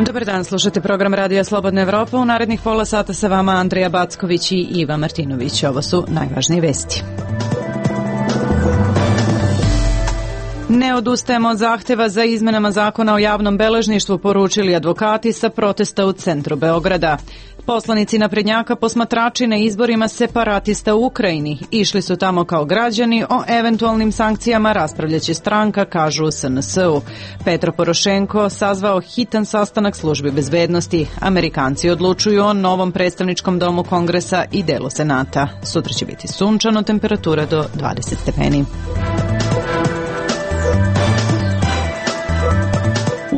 Dobar dan, slušate program Radija Slobodna Evropa. U narednih pola sata sa vama Andreja Backović i Iva Martinović. Ovo su najvažnije vesti. Ne odustajemo od zahteva za izmenama zakona o javnom beležništvu, poručili advokati sa protesta u centru Beograda. Poslanici naprednjaka posmatrači na izborima separatista u Ukrajini išli su tamo kao građani, o eventualnim sankcijama raspravljaće stranka, kažu u SNS-u. Petro Porošenko sazvao hitan sastanak službi bezbednosti. Amerikanci odlučuju o novom predstavničkom domu Kongresa i delu Senata. Sutra će biti sunčano, temperatura do 20 stepeni.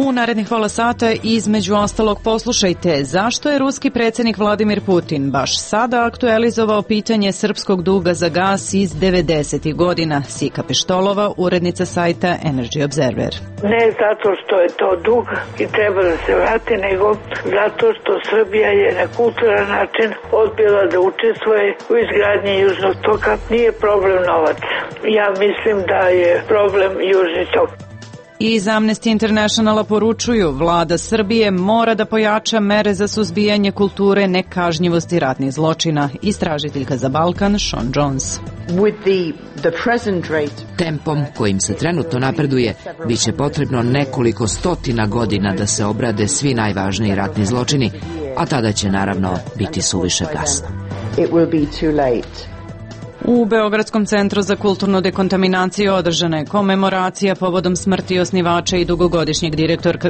U narednih pola sata između ostalog poslušajte zašto je ruski predsjednik Vladimir Putin baš sada aktualizovao pitanje srpskog duga za gas iz 90. godina. Sika Peštolova, urednica sajta Energy Observer. Ne zato što je to dug i treba da se vrati, nego zato što Srbija je na kulturan način odbila da učestvuje u izgradnji Južnog toka. Nije problem novac. Ja mislim da je problem Južni tok. Iz Amnesty Internationala poručuju, vlada Srbije mora da pojača mere za suzbijanje kulture nekažnjivosti ratnih zločina. Istražiteljka za Balkan, Sean Jones. Tempom kojim se trenutno napreduje, biće potrebno nekoliko stotina godina da se obrade svi najvažniji ratni zločini, a tada će naravno biti suviše kasno. U Beogradskom centru za kulturnu dekontaminaciju održana je komemoracija povodom smrti osnivača i dugogodišnjeg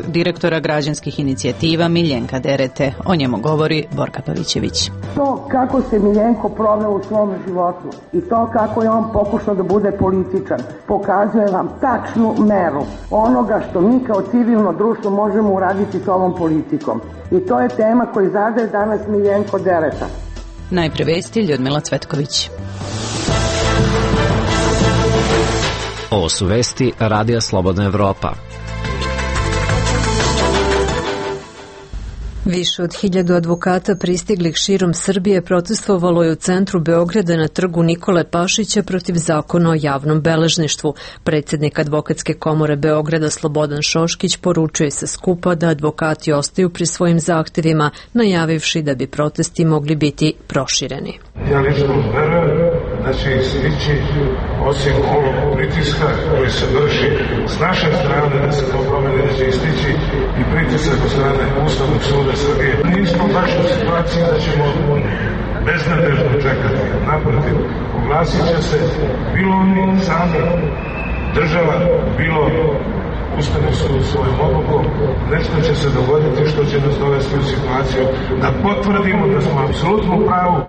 direktora građanskih inicijativa Miljenka Derete. O njemu govori Borka Pavićević. To kako se Miljenko proveo u svom životu i to kako je on pokušao da bude političan pokazuje vam tačnu meru onoga što mi kao civilno društvo možemo uraditi s ovom politikom. I to je tema koju zadaje danas Miljenko Dereta. Najpre vesti, Ljudmila Cvetković. Ovo su vesti Radija Slobodna Evropa. Više od 1000 advokata pristiglih širom Srbije protestovalo je u centru Beograda na trgu Nikole Pašića protiv zakona o javnom beležništvu. Predsjednik Advokatske komore Beograda Slobodan Šoškić poručuje sa skupa da advokati ostaju pri svojim zahtevima, najavivši da bi protesti mogli biti prošireni. Ja lično verujem da će istići, osim ovog pritiska koji se vrši s naše strane da se to promeni, da će istići i pritisak od strane Ustavnog suda Srbije. Nismo baš u situaciji da ćemo beznadežno čekati. Naprotiv, oglasit će se bilo oni sami, država, bilo Ustavni sud svojom odlukom. Nešto će se dogoditi što će nas dovesti u situaciju da potvrdimo da smo apsolutno u pravu.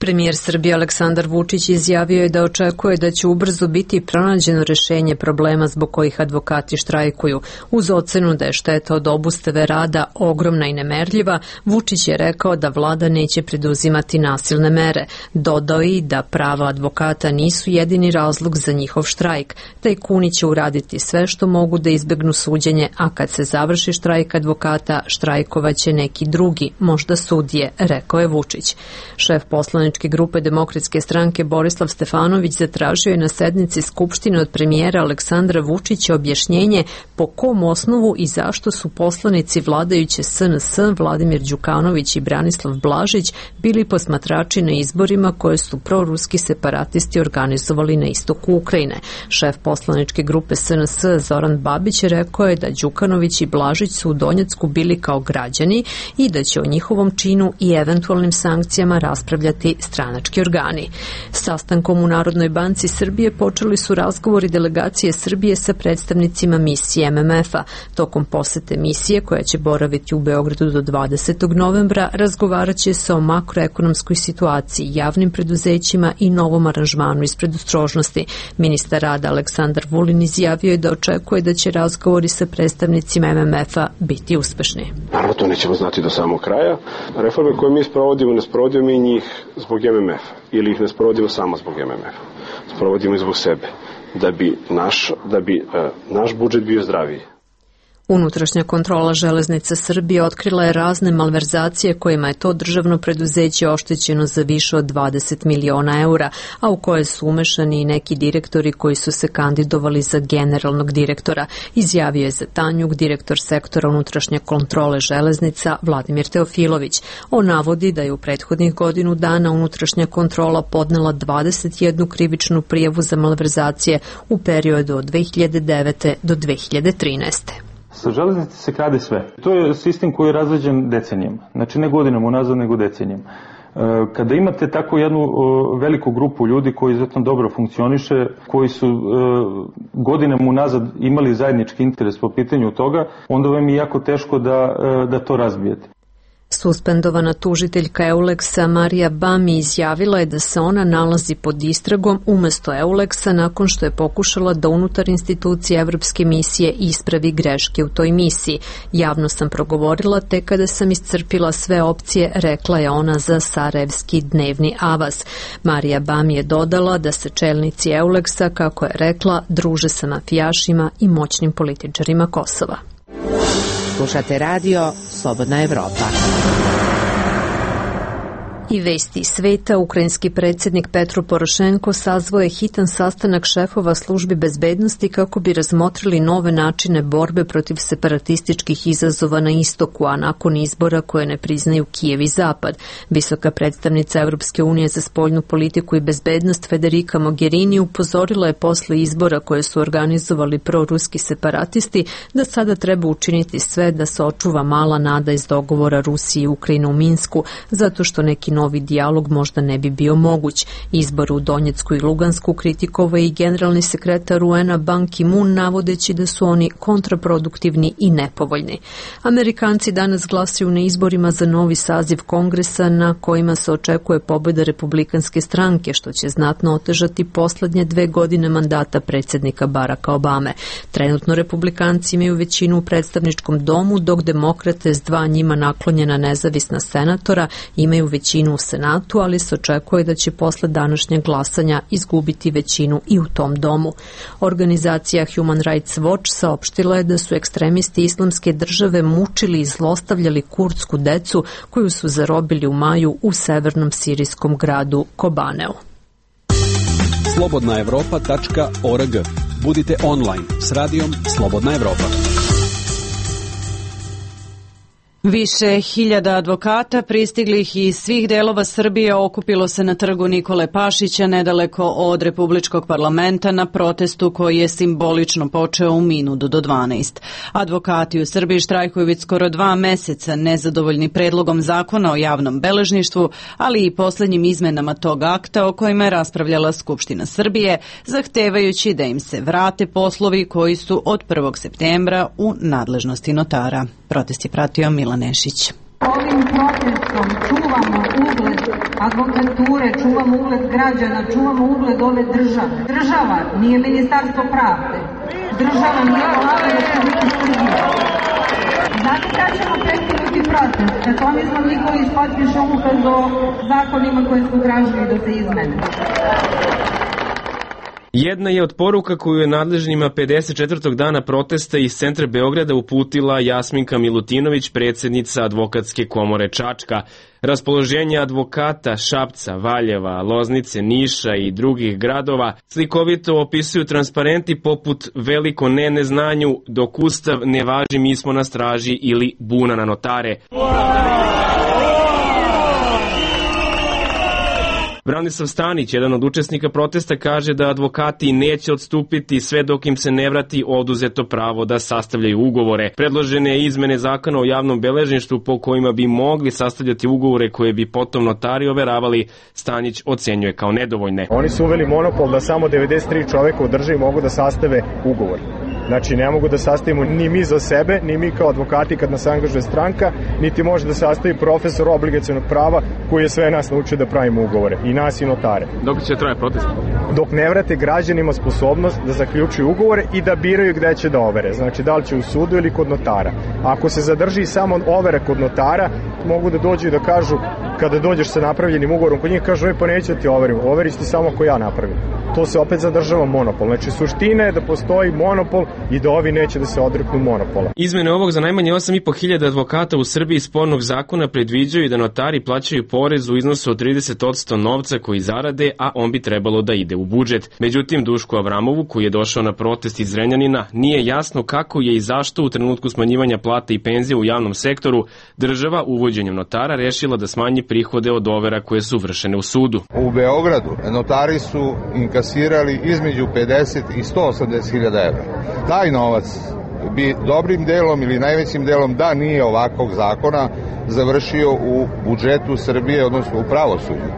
Premijer Srbije Aleksandar Vučić izjavio je da očekuje da će ubrzo biti pronađeno rešenje problema zbog kojih advokati štrajkuju. Uz ocenu da je šteta od obustave rada ogromna i nemerljiva, Vučić je rekao da vlada neće preduzimati nasilne mere. Dodao i da prava advokata nisu jedini razlog za njihov štrajk. Tajkuni će uraditi sve što mogu da izbegnu suđenje, a kad se završi štrajk advokata, štrajkovaće neki drugi, možda sudije, rekao je Vučić. Šef poslaničke grupe Demokratske stranke Borislav Stefanović zatražio je na sednici Skupštine od premijera Aleksandra Vučića objašnjenje po kom osnovu i zašto su poslanici vladajuće SNS Vladimir Đukanović i Branislav Blažić bili posmatrači na izborima koje su proruski separatisti organizovali na istoku Ukrajine. Šef poslaničke grupe SNS Zoran Babić rekao je da Đukanović i Blažić su u Donjecku bili kao građani i da će o njihovom činu i eventualnim sankcijama raspravljati stranački organi. Sastankom u Narodnoj banci Srbije počeli su razgovori delegacije Srbije sa predstavnicima misije MMF-a. Tokom posete misije, koja će boraviti u Beogradu do 20. novembra, razgovarat će se o makroekonomskoj situaciji, javnim preduzećima i novom aranžmanu iz predostrožnosti. Ministar rada Aleksandar Vulin izjavio je da očekuje da će razgovori sa predstavnicima MMF-a biti uspešni. Naravno, to nećemo znati do samog kraja. Reforme koje mi sprovodimo, ne sprovodimo i njih zbog MMF-a ili ih ne sprovodimo samo zbog MMF-a. Sprovodimo i zbog sebe, da bi naš budžet bio zdraviji. Unutrašnja kontrola železnica Srbije otkrila je razne malverzacije kojima je to državno preduzeće oštećeno za više od 20 miliona eura, a u koje su umešani i neki direktori koji su se kandidovali za generalnog direktora, izjavio je za Tanjug direktor sektora unutrašnje kontrole železnica Vladimir Teofilović. On navodi da je u prethodnih godinu dana unutrašnja kontrola podnela 21 krivičnu prijavu za malverzacije u periodu od 2009. do 2013. Sa železnice se krade sve. To je sistem koji je razrađen decenijama. Znači ne godinama unazad, nego decenijama. Kada imate tako jednu veliku grupu ljudi koji izuzetno dobro funkcioniše, koji su godinama unazad imali zajednički interes po pitanju toga, onda vam je jako teško da to razbijete. Suspendovana tužiteljka Euleksa Marija Bami izjavila je da se ona nalazi pod istragom umesto Euleksa nakon što je pokušala da unutar institucije Evropske misije ispravi greške u toj misiji. Javno sam progovorila te kada sam iscrpila sve opcije, rekla je ona za Sarajevski dnevni avaz. Marija Bami je dodala da se čelnici Euleksa, kako je rekla, druže sa mafijašima i moćnim političarima Kosova. Slušate radio Slobodna Evropa. I vesti sveta, ukrajinski predsjednik Petro Porošenko sazvao je hitan sastanak šefova službi bezbednosti kako bi razmotrili nove načine borbe protiv separatističkih izazova na istoku, a nakon izbora koje ne priznaju Kijev i Zapad. Visoka predstavnica Europske unije za spoljnu politiku i bezbednost Federica Mogherini upozorila je posle izbora koje su organizovali proruski separatisti da sada treba učiniti sve da se očuva mala nada iz dogovora Rusije i Ukrajine u Minsku, zato što neki novi dijalog možda ne bi bio moguć. Izbor u Donjecku i Lugansku kritikovao i generalni sekretar UN-a Ban Ki-moon, navodeći da su oni kontraproduktivni i nepovoljni. Amerikanci danas glasaju na izborima za novi saziv kongresa na kojima se očekuje pobjeda republikanske stranke, što će znatno otežati poslednje 2 godine mandata predsjednika Baracka Obame. Trenutno republikanci imaju većinu u predstavničkom domu, dok demokrate s 2 njima naklonjena nezavisna senatora imaju većinu u Senatu, ali se očekuje da će posle današnjeg glasanja izgubiti većinu i u tom domu. Organizacija Human Rights Watch saopštila je da su ekstremisti Islamske države mučili i zlostavljali kurdsku decu koju su zarobili u maju u severnom sirijskom gradu Kobaneu. slobodnaevropa.org. Budite online s radijom Slobodna Evropa. Više hiljada advokata pristiglih iz svih delova Srbije okupilo se na trgu Nikole Pašića nedaleko od Republičkog parlamenta na protestu koji je simbolično počeo u minutu do 12. Advokati u Srbiji štrajkuju već skoro 2 meseca nezadovoljni predlogom zakona o javnom beležništvu, ali i poslednjim izmenama tog akta o kojima je raspravljala Skupština Srbije, zahtevajući da im se vrate poslovi koji su od 1. septembra u nadležnosti notara. Protest je pratio Milan Nešić. Ovim protestom čuvamo ugled advokature, čuvamo ugled građana, čuvamo ugled ove države. Država nije ministarstvo pravde. Država nije Vlada Republike Srbije. Znate kada ćemo prekinuti protest? Kad Tomislav Nikolić potpiše ukaz o zakonima koje smo tražili da se izmene. Jedna je od poruka koju je nadležnjima 54. dana protesta iz centra Beograda uputila Jasminka Milutinović, predsjednica Advokatske komore Čačka. Raspoloženje advokata Šapca, Valjeva, Loznice, Niša i drugih gradova slikovito opisuju transparenti poput veliko ne neznanju, dok Ustav ne važi mi smo na straži ili buna na notare. Branislav Stanić, jedan od učesnika protesta, kaže da advokati neće odstupiti sve dok im se ne vrati oduzeto pravo da sastavljaju ugovore. Predložene izmene zakona o javnom beležništvu po kojima bi mogli sastavljati ugovore koje bi potom notari overavali, Stanić ocenjuje kao nedovoljne. Oni su uveli monopol da samo 93 čoveka u državi mogu da sastave ugovor. Znači, ne mogu da sastavimo ni mi za sebe, ni mi kao advokati kad nas angažuje stranka, niti može da sastavi profesor obligacionog prava koji je sve nas naučio da pravimo ugovore, i nas i notare. Dok će traje protest? Dok ne vrate građanima sposobnost da zaključuju ugovore i da biraju gde će da overe. Znači, da li će u sudu ili kod notara. Ako se zadrži samo overe kod notara, mogu da dođu i da kažu kada dođeš sa napravljenim ugovorom kod njih, kažu, pa neću ti overim, overiš ti samo ako ja napravim. To se opet zadržava monopol. Znači, suština je da postoji monopol i da ovi neće da se odreknu monopola. Izmene ovog za najmanje 8.500 advokata u Srbiji spornog zakona predviđaju da notari plaćaju porez u iznosu od 30% novca koji zarade, a on bi trebalo da ide u budžet. Međutim, Dušku Avramovu, koji je došao na protest iz Zrenjanina, nije jasno kako je i zašto u trenutku smanjivanja plata i penzija u javnom sektoru država uvođenjem notara rešila da smanji prihode od overa koje su vršene u sudu. U Beogradu notari su inkasirali između 50 i 180 hiljada evra. Taj novac bi dobrim delom ili najvećim delom, da nije ovakvog zakona, završio u budžetu Srbije, odnosno u pravosuđu.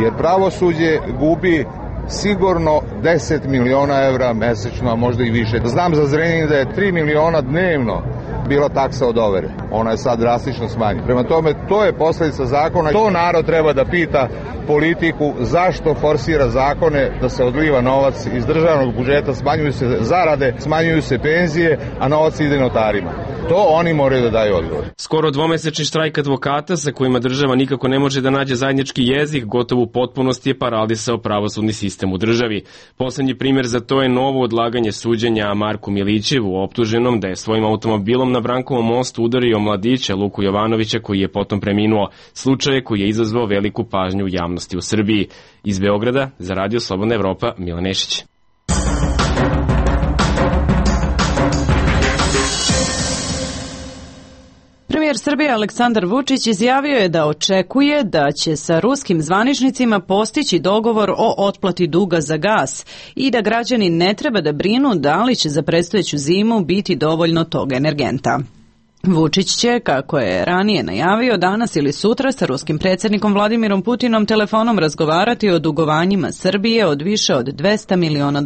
Jer pravosuđe gubi sigurno 10 miliona evra mesečno, a možda i više. Znam za Zrenjanin da je 3 miliona dnevno bila taksa od overe. Ona je sad drastično smanjena. Prema tome, to je posledica zakona. To narod treba da pita politiku zašto forsira zakone da se odliva novac iz državnog budžeta, smanjuju se zarade, smanjuju se penzije, a novac ide notarima. To oni moraju da daju odgovor. Skoro dvomesečni štrajk advokata sa kojima država nikako ne može da nađe zajednički jezik, gotovo u potpunosti je paralisao pravosudni sistem u državi. Poslednji primer za to je novo odlaganje suđenja Marku Milićevu, optuženom da je svojim automobilom na Brankovom mostu udario mladića Luku Jovanovića, koji je potom preminuo. Slučaj koji je izazvao veliku pažnju javnosti u Srbiji. Iz Beograda za Radio Slobodna Evropa, Milan Nešić. Premijer Srbije Aleksandar Vučić izjavio je da očekuje da će sa ruskim zvaničnicima postići dogovor o otplati duga za gas i da građani ne treba da brinu da li će za predstojeću zimu biti dovoljno tog energenta. Vučić će, kako je ranije najavio, danas ili sutra sa ruskim predsjednikom Vladimirom Putinom telefonom razgovarati o dugovanjima Srbije od više od $200 miliona.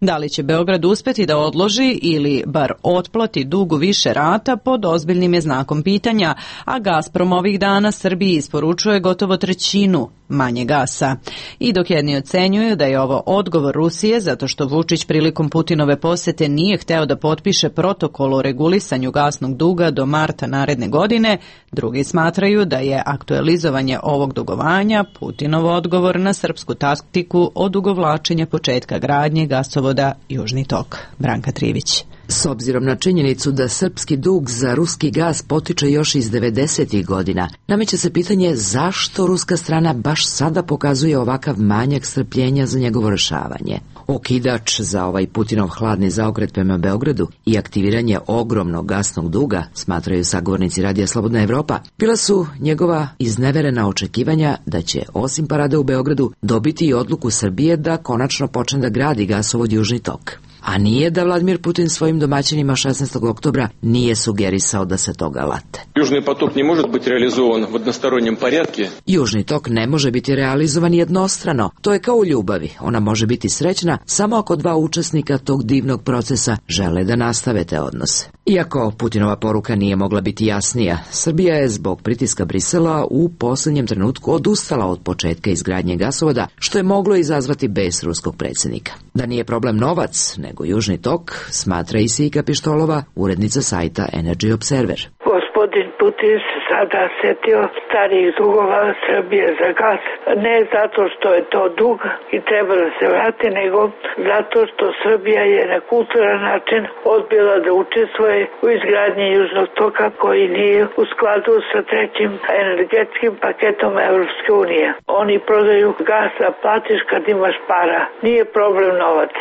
Da li će Beograd uspeti da odloži ili bar otplati dug u više rata pod ozbiljnim je znakom pitanja, a Gazprom ovih dana Srbiji isporučuje gotovo trećinu manje gasa. I dok jedni ocenjuju da je ovo odgovor Rusije zato što Vučić prilikom Putinove posete nije hteo da potpiše protokol o regulisanju gasnog duga do marta naredne godine, drugi smatraju da je aktualizovanje ovog dugovanja Putinov odgovor na srpsku taktiku odugovlačenja početka gradnje gasovoda Južni tok. Branka Trivić. S obzirom na činjenicu da srpski dug za ruski gas potiče još iz 90. godina, nameće se pitanje zašto ruska strana baš sada pokazuje ovakav manjak strpljenja za njegovo rešavanje. Okidač za ovaj Putinov hladni zaokret prema Beogradu i aktiviranje ogromnog gasnog duga, smatraju sagovornici Radija Slobodna Evropa, bila su njegova izneverena očekivanja da će, osim parade u Beogradu, dobiti i odluku Srbije da konačno počne da gradi gasovod Južni tok. A nije da Vladimir Putin svojim domaćinima 16. oktobra nije sugerisao da se toga late. Južni tok ne može biti realizovan u jednostranom porядku. Južni tok ne može biti realizovan jednostrano. To je kao u ljubavi. Ona može biti srećna samo ako dva učesnika tog divnog procesa žele da nastave te odnose. Iako Putinova poruka nije mogla biti jasnija, Srbija je zbog pritiska Brisela u posljednjem trenutku odustala od početka izgradnje gasovoda, što je moglo izazvati bes ruskog predsjednika. Da nije problem novac, nego Južni tok, smatra i Sika Pištolova, urednica sajta Energy Observer. Gospodin Putin se sada setio starijih dugova Srbije za gas, ne zato što je to dug i treba da se vrati, nego zato što Srbija je na kulturan način odbila da učestvuje u izgradnji Južnog toka koji nije u skladu sa trećim energetskim paketom Evropske unije. Oni prodaju gas, a platiš kad imaš para. Nije problem novac.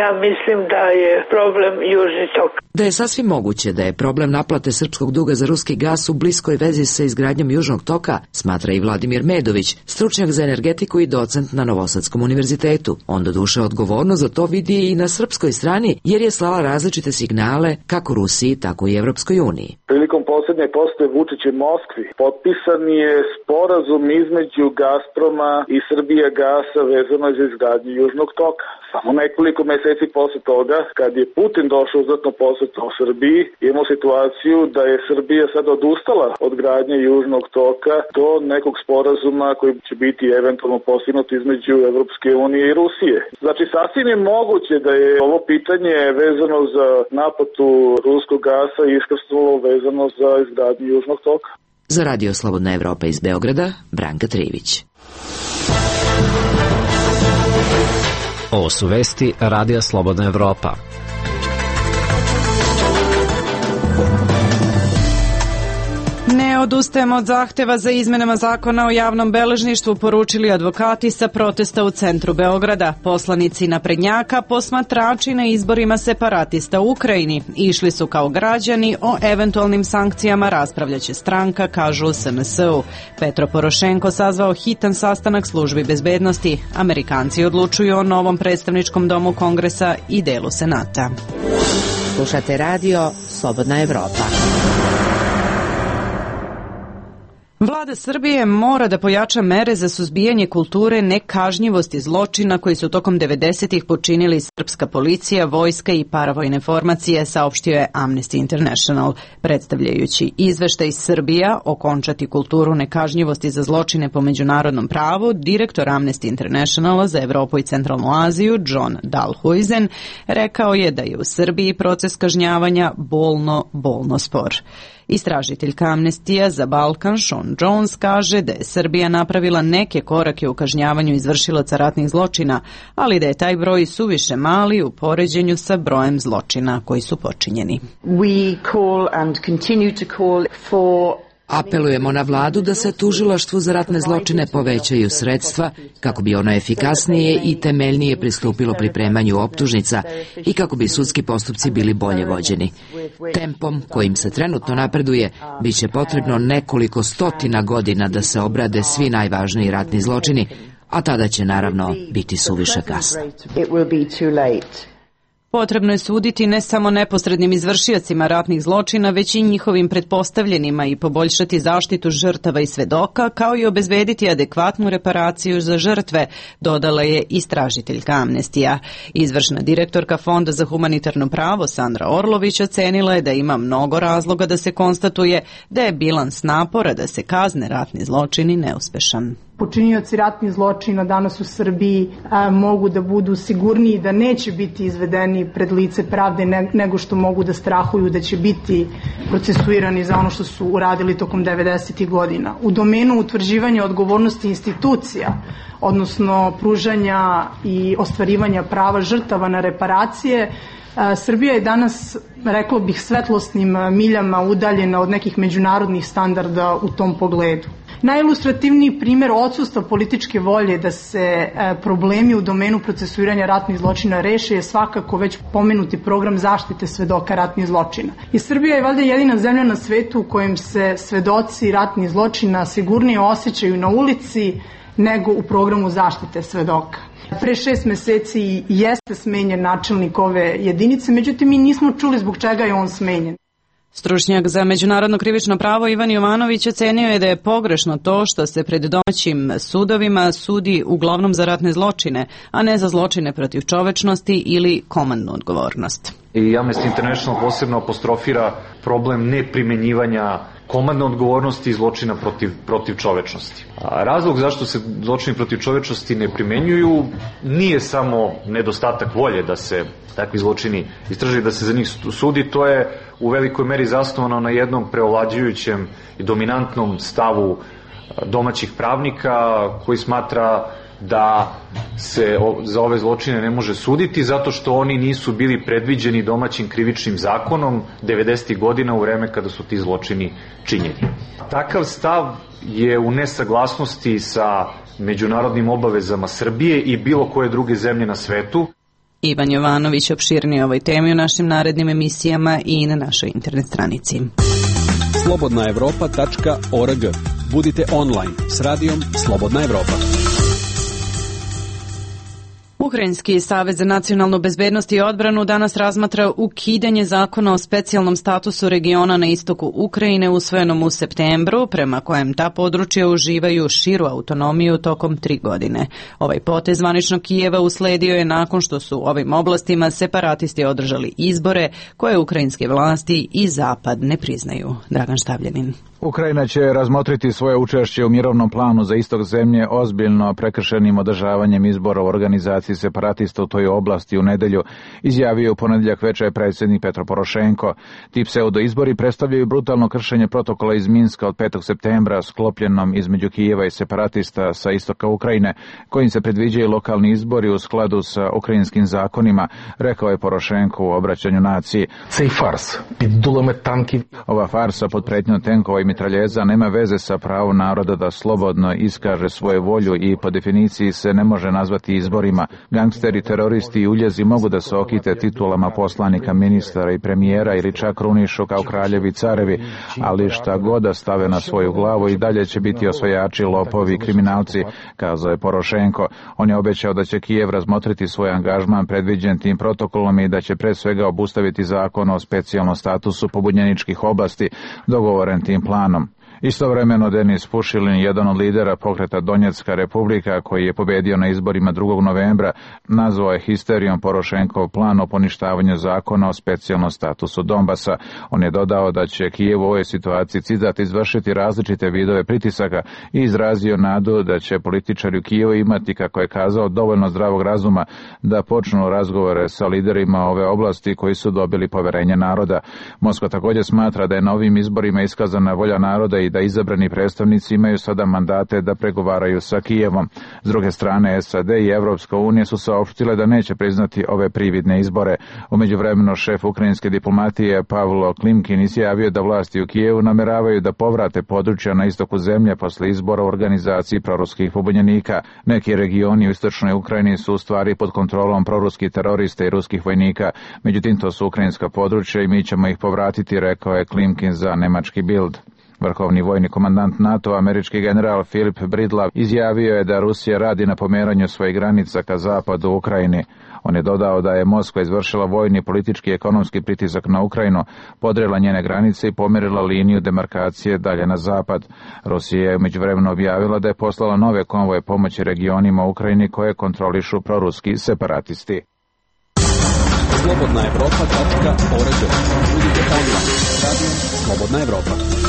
Ja mislim da je problem Južni tok. Da je sasvim moguće da je problem naplate srpskog duga za ruski gas u bliskoj vezi sa izgradnjom Južnog toka, smatra i Vladimir Medović, stručnjak za energetiku i docent na Novosadskom univerzitetu. On doduše odgovorno za to vidi i na srpskoj strani, jer je slala različite signale kako Rusiji, tako i Evropskoj uniji. Prilikom poslednje posete Vučića u Moskvi potpisan je sporazum između Gazproma i Srbija gasa vezano za izgradnju Južnog toka. Samo nekoliko meseci posle toga, kad je Putin došao uzvratno posete u Srbiji, imamo situaciju da je Srbija sad odustala od gradnje Južnog toka do nekog sporazuma koji će biti eventualno postignut između Evropske unije i Rusije. Znači, sasvim je moguće da je ovo pitanje vezano za naplatu ruskog gasa iskrsnulo vezano za izgradnju Južnog toka. Za Radio Slobodna Evropa iz Beograda, Branka Trivić. Ovo su vesti Radija Slobodna Evropa. Ne odustajemo od zahteva za izmenama zakona o javnom beležništvu, poručili advokati sa protesta u centru Beograda. Poslanici naprednjaka, posmatrači na izborima separatista u Ukrajini, išli su kao građani, o eventualnim sankcijama raspravljaće stranka, kažu u SNS-u. Petro Porošenko sazvao hitan sastanak službi bezbednosti. Amerikanci odlučuju o novom predstavničkom domu Kongresa i delu Senata. Slušate radio Slobodna Evropa. Vlada Srbije mora da pojača mere za suzbijanje kulture nekažnjivosti zločina koji su tokom 90-ih počinili srpska policija, vojska i paravojne formacije, saopštio je Amnesty International. Predstavljajući izveštaj Srbija okončati kulturu nekažnjivosti za zločine po međunarodnom pravu, direktor Amnesty Internationala za Evropu i Centralnu Aziju, John Dalhuizen, rekao je da je u Srbiji proces kažnjavanja bolno spor. Istražiteljka Amnestija za Balkan Sean Jones kaže da je Srbija napravila neke korake u kažnjavanju izvršilaca ratnih zločina, ali da je taj broj suviše mali u poređenju sa brojem zločina koji su počinjeni. Apelujemo na vladu da se tužilaštvu za ratne zločine povećaju sredstva kako bi ono efikasnije i temeljnije pristupilo pripremanju optužnica i kako bi sudski postupci bili bolje vođeni. Tempom kojim se trenutno napreduje biće potrebno nekoliko stotina godina da se obrade svi najvažniji ratni zločini, a tada će naravno biti suviše kasno. Potrebno je suditi ne samo neposrednim izvršiocima ratnih zločina, već i njihovim pretpostavljenima i poboljšati zaštitu žrtava i svedoka, kao i obezbediti adekvatnu reparaciju za žrtve, dodala je istražiteljka Amnestija. Izvršna direktorka Fonda za humanitarno pravo Sandra Orlović ocenila je da ima mnogo razloga da se konstatuje da je bilans napora da se kazne ratni zločini neuspešan. Počinioci ratnih zločina danas u Srbiji mogu da budu sigurniji da neće biti izvedeni pred lice pravde nego što mogu da strahuju da će biti procesuirani za ono što su uradili tokom 90. godina. U domenu utvrđivanja odgovornosti institucija, odnosno pružanja i ostvarivanja prava žrtava na reparacije, Srbija je danas, reklo bih, svetlosnim miljama udaljena od nekih međunarodnih standarda u tom pogledu. Najilustrativniji primjer odsustva političke volje da se problemi u domenu procesuiranja ratnih zločina reše je svakako već pomenuti program zaštite svedoka ratnih zločina. I Srbija je valjda jedina zemlja na svetu u kojem se svedoci ratnih zločina sigurnije osjećaju na ulici nego u programu zaštite svedoka. Pre 6 meseci jeste smenjen načelnik ove jedinice, međutim mi nismo čuli zbog čega je on smenjen. Stručnjak za međunarodno krivično pravo Ivan Jovanović ocenio je da je pogrešno to što se pred domaćim sudovima sudi uglavnom za ratne zločine, a ne za zločine protiv čovečnosti ili komandnu odgovornost. I Amnesty International posebno apostrofira problem neprimenjivanja komandne odgovornosti i zločina protiv čovečnosti. Razlog zašto se zločini protiv čovečnosti ne primenjuju nije samo nedostatak volje da se takvi zločini istraže, da se za njih sudi, to je u velikoj meri zasnovano na jednom preovlađujućem i dominantnom stavu domaćih pravnika koji smatra da se za ove zločine ne može suditi zato što oni nisu bili predviđeni domaćim krivičnim zakonom 90. godina u vreme kada su ti zločini činjeni. Takav stav je u nesaglasnosti sa međunarodnim obavezama Srbije i bilo koje druge zemlje na svetu. Ivan Jovanović opširnije o ovoj temi u našim narednim emisijama i na našoj internet stranici. slobodnaevropa.org. Budite online s radijom Slobodna Evropa. Ukrajinski savez za nacionalnu bezbednost i odbranu danas razmatra ukidanje zakona o specijalnom statusu regiona na istoku Ukrajine usvojenom u septembru, prema kojem ta područja uživaju širu autonomiju tokom 3 godine. Ovaj potez zvaničnog Kijeva usledio je nakon što su u ovim oblastima separatisti održali izbore koje ukrajinske vlasti i Zapad ne priznaju. Dragan Štavljanin. Ukrajina će razmotriti svoje učešće u mirovnom planu za istok zemlje ozbiljno prekršenim održavanjem izbora u organizaciji separatista u toj oblasti u nedelju, izjavio u ponedjeljak večer predsjednik Petro Porošenko. Ti pseudoizbori predstavljaju brutalno kršenje protokola iz Minska od 5. septembra sklopljenom između Kijeva i separatista sa istoka Ukrajine, kojim se predviđaju lokalni izbori u skladu sa ukrajinskim zakonima, rekao je Porošenko u obraćanju naciji. Ova farsa pod pretnjom tenkova i mitraljeza nema veze sa pravom naroda da slobodno iskaže svoju volju i po definiciji se ne može nazvati izborima. Gangsteri, teroristi i uljezi mogu da se okite titulama poslanika, ministara i premijera ili čak krunišu kao kraljevi i carevi, ali šta god da stave na svoju glavu i dalje će biti osvajači, lopovi i kriminalci, kazao je Porošenko. On je obećao da će Kijev razmotriti svoj angažman predviđen tim protokolom i da će pre svega obustaviti zakon o specijalnom statusu pobunjeničkih oblasti dogovoren tim planom. Istovremeno Denis Pušilin, jedan od lidera pokreta Donjecka republika koji je pobedio na izborima 2. novembra, nazvao je histerijom Porošenkov plan o poništavanju zakona o specijalnom statusu Donbasa. On je dodao da će Kijev u ovoj situaciji, citat, izvršiti različite vidove pritisaka i izrazio nadu da će političari u Kijevu imati, kako je kazao, dovoljno zdravog razuma da počnu razgovore sa liderima ove oblasti koji su dobili poverenje naroda. Moskva također smatra da je na ovim izborima iskazana volja naroda i da izabrani predstavnici imaju sada mandate da pregovaraju sa Kijevom. S druge strane, SAD i Evropska unija su saopštile da neće priznati ove prividne izbore. U međuvremenu šef ukrajinske diplomatije Pavlo Klimkin izjavio da vlasti u Kijevu nameravaju da povrate područja na istoku zemlje posle izbora u organizaciji proruskih pobunjenika. Neki regioni u istočnoj Ukrajini su u stvari pod kontrolom proruskih terorista i ruskih vojnika. Međutim, to su ukrajinska područja i mi ćemo ih povratiti, rekao je Klimkin za nemački Bild. Vrhovni vojni komandant NATO, američki general Philip Bridlav, izjavio je da Rusija radi na pomeranju svojih granica ka zapadu u Ukrajini. On je dodao da je Moskva izvršila vojni, politički i ekonomski pritisak na Ukrajinu, podrela njene granice i pomerila liniju demarkacije dalje na zapad. Rusija je međuvremeno objavila da je poslala nove konvoje pomoći regionima u Ukrajini koje kontrolišu proruski separatisti. Slobodna Evropa.org. Budite online. Radio Slobodna Evropa.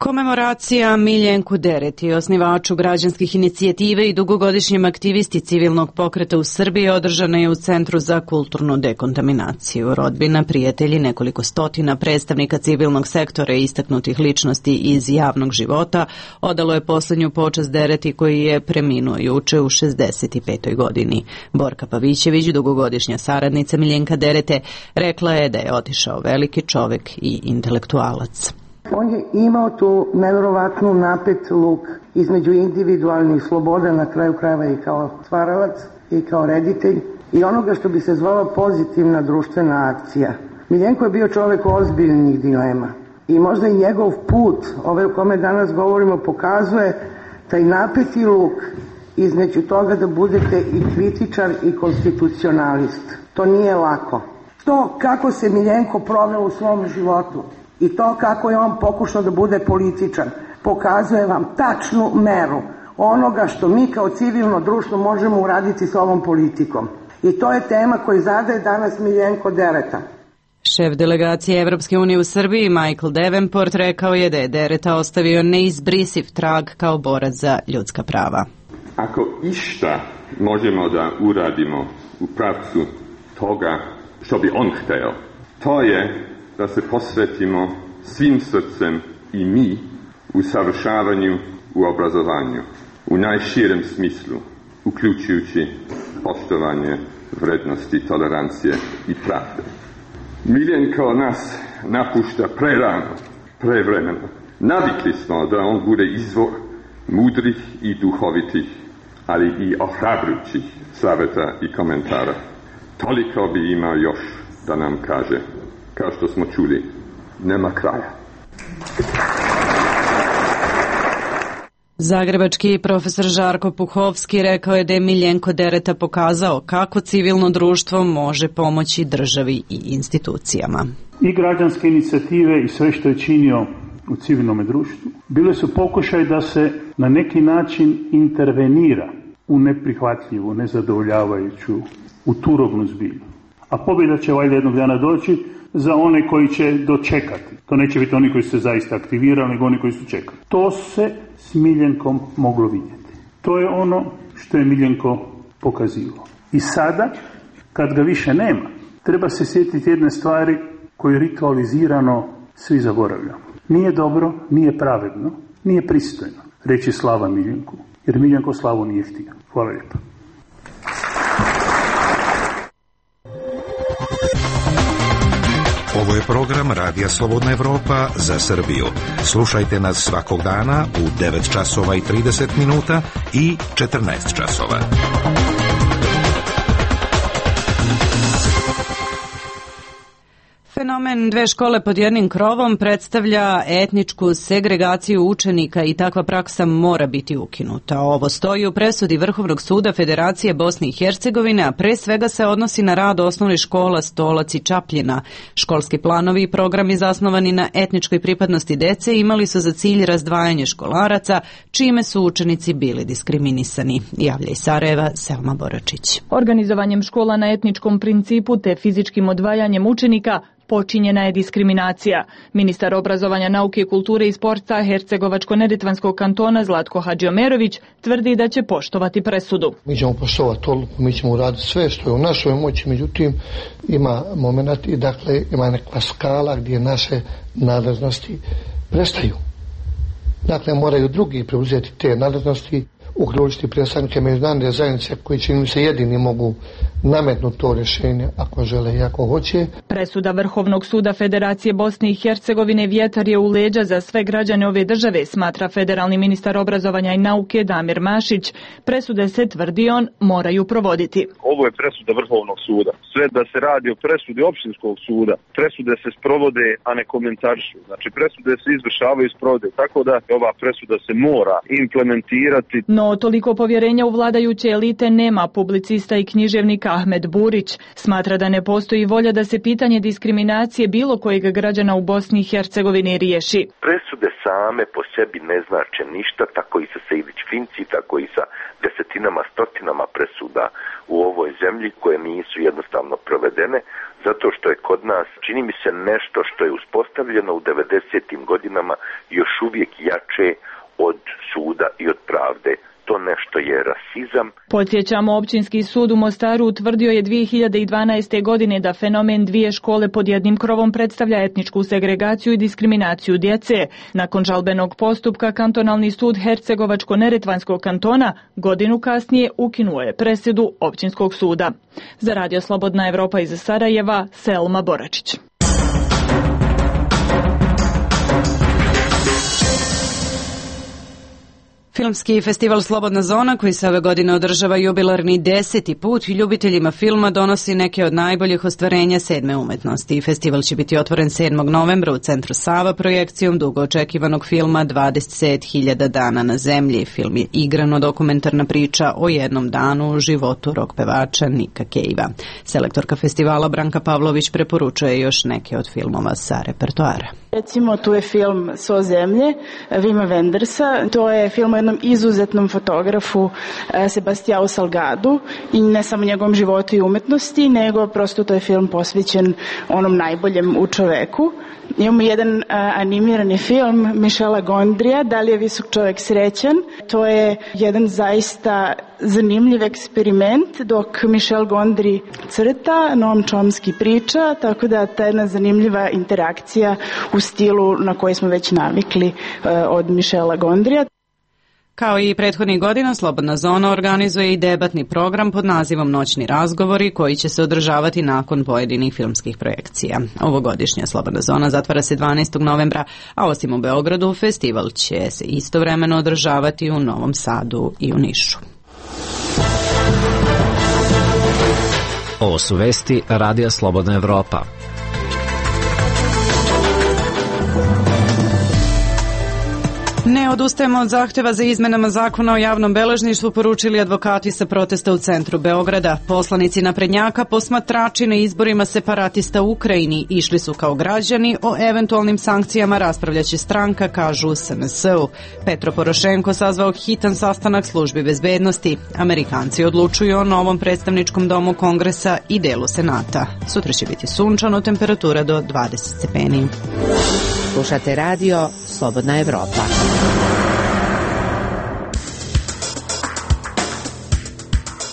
Komemoracija Miljenku Dereti, osnivaču građanskih inicijative i dugogodišnjem aktivisti civilnog pokreta u Srbiji, održana je u Centru za kulturnu dekontaminaciju. Rodbina, prijatelji, nekoliko stotina predstavnika civilnog sektora i istaknutih ličnosti iz javnog života odalo je posljednju počast Dereti koji je preminuo juče u 65. godini. Borka Pavićević, dugogodišnja saradnica Miljenka Derete, rekla je da je otišao veliki čovek i intelektualac. On je imao tu nevjerovatnu napet luk između individualnih sloboda, na kraju krajeva i kao stvaralac i kao reditelj, i onoga što bi se zvalo pozitivna društvena akcija. Miljenko je bio čovjek ozbiljnih dilema i možda i njegov put, ovaj o kome danas govorimo, pokazuje taj napeti luk između toga da budete i kritičar i konstitucionalist. To nije lako. To kako se Miljenko proveo u svom životu i to kako je on pokušao da bude političan, pokazuje vam tačnu meru onoga što mi kao civilno društvo možemo uraditi s ovom politikom. I to je tema koju zadaje danas Miljenko Dereta. Šef delegacije Evropske unije u Srbiji, Michael Davenport, rekao je da je Dereta ostavio neizbrisiv trag kao borac za ljudska prava. Ako išta možemo da uradimo u pravcu toga što bi on hteo, to je da se posvetimo svim srcem i mi u savršavanju, u obrazovanju, u najširem smislu, uključujući poštovanje vrednosti, tolerancije i pravde. Miljenko nas napušta prerano, prevremeno. Navikli smo da on bude izvor mudrih i duhovitih, ali i ohrabrujućih savjeta i komentara. Toliko bi imao još da nam kaže. Kao što smo čuli, nema kraja. Zagrebački profesor Žarko Puhovski rekao je da je Miljenko Dereta pokazao kako civilno društvo može pomoći državi i institucijama. I građanske inicijative i sve što je činio u civilnom društvu bile su pokušaj da se na neki način intervenira u neprihvatljivu, nezadovoljavajuću, u turobnu zbilju. A pobjeda će valjda jednog dana doći za one koji će dočekati. To neće biti oni koji su se zaista aktivirali, nego oni koji su čekali. To se s Miljenkom moglo vidjeti. To je ono što je Miljenko pokazivao. I sada, kad ga više nema, treba se sjetiti jedne stvari koje ritualizirano svi zaboravljamo. Nije dobro, nije pravedno, nije pristojno reći slava Miljenku, jer Miljenko slavu nije htio. Hvala lijepo. Ovo je program Radija Slobodna Evropa za Srbiju. Slušajte nas svakog dana u 9 časova i 30 minuta i 14 časova. Fenomen dve škole pod jednim krovom predstavlja etničku segregaciju učenika i takva praksa mora biti ukinuta. Ovo stoji u presudi Vrhovnog suda Federacije Bosne i Hercegovine, a pre svega se odnosi na rad osnovnih škola Stolac i Čapljina. Školski planovi i programi zasnovani na etničkoj pripadnosti dece imali su za cilj razdvajanje školaraca, čime su učenici bili diskriminisani. Javlja iz Sarajeva Selma Boračić. Organizovanjem škola na etničkom principu te fizičkim odvajanjem učenika počinjena je diskriminacija. Ministar obrazovanja, nauke, kulture i sporta Hercegovačko-Neretvanskog kantona Zlatko Hadžiomerović tvrdi da će poštovati presudu. Mi ćemo poštovati odluku, mi ćemo uraditi sve što je u našoj moći, međutim ima moment i dakle ima neka skala gdje naše nadležnosti prestaju. Dakle, moraju drugi preuzeti te nadležnosti, uključiti predstavnike međunarodne zajednice koji čini mi se jedini mogu nametnuti to rješenje ako žele i ako hoće. Presuda Vrhovnog suda Federacije Bosne i Hercegovine vjetar je u leđa za sve građane ove države, smatra federalni ministar obrazovanja i nauke Damir Mašić. Presude se, tvrdi on, moraju provoditi. Ovo je presuda Vrhovnog suda. Sve da se radi o presudi opštinskog suda, presude se sprovode, a ne komentarišu. Znači presude se izvršavaju i sprovode, tako da ova presuda se mora implementirati. No, toliko povjerenja u vladajuće elite nema publicista i književnik Ahmed Burić. Smatra da ne postoji volja da se pitanje diskriminacije bilo kojeg građana u Bosni i Hercegovini riješi. Presude same po sebi ne znače ništa, tako i sa Sejdić-Finci, tako i sa desetinama, stotinama presuda u ovoj zemlji koje nisu jednostavno provedene, zato što je kod nas, čini mi se, nešto što je uspostavljeno u 90. godinama još uvijek jače od suda i od pravde. To nešto je rasizam. Podsjećamo, općinski sud u Mostaru utvrdio je 2012. godine da fenomen dvije škole pod jednim krovom predstavlja etničku segregaciju i diskriminaciju djece. Nakon žalbenog postupka, kantonalni sud Hercegovačko-Neretvanskog kantona godinu kasnije ukinuo je presudu općinskog suda. Za Radio Slobodna Evropa iz Sarajeva, Selma Boračić. Filmski festival Slobodna zona, koji se ove godine održava jubilarni 10. put, ljubiteljima filma donosi neke od najboljih ostvarenja sedme umetnosti. Festival će biti otvoren 7. novembra u centru Sava projekcijom dugo očekivanog filma 20.000 dana na zemlji. Film je igrano-dokumentarna priča o jednom danu u životu rock pevača Nika Cavea. Selektorka festivala Branka Pavlović preporučuje još neke od filmova sa repertoara. Recimo, tu je film So zemlje Wima Wendersa. To je film o jednom izuzetnom fotografu Sebastianu Salgadu i ne samo njegovom životu i umetnosti, nego prosto to je film posvećen onom najboljem u čoveku. Imamo jedan animirani film Michela Gondrija, Da li je visok čovjek srećan. To je jedan zaista zanimljiv eksperiment dok Michel Gondry crta, Noam Chomsky priča, tako da ta jedna zanimljiva interakcija u stilu na koji smo već navikli od Michela Gondrija. Kao i prethodnih godina, Slobodna zona organizuje i debatni program pod nazivom Noćni razgovori, koji će se održavati nakon pojedinih filmskih projekcija. Ovogodišnja Slobodna zona zatvara se 12. novembra, a osim u Beogradu, festival će se istovremeno održavati u Novom Sadu i u Nišu. Ovo su vesti Radija Slobodna Evropa. Ne odustajemo od zahteva za izmenama zakona o javnom beležništvu, poručili advokati sa protesta u centru Beograda. Poslanici naprednjaka, posmatrači na izborima separatista u Ukrajini, išli su kao građani, o eventualnim sankcijama raspravljaće stranka, kažu u SNS-u. Petro Porošenko sazvao hitan sastanak službi bezbednosti. Amerikanci odlučuju o novom predstavničkom domu Kongresa i delu Senata. Sutra će biti sunčano, temperatura do 20 stepeni. Slušate radio Slobodna Evropa.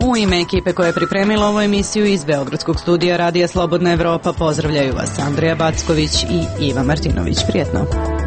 U ime ekipe koja je pripremila ovu emisiju iz Beogradskog studija Radija Slobodna Evropa pozdravljaju vas Andreja Backović i Iva Martinović. Prijetno.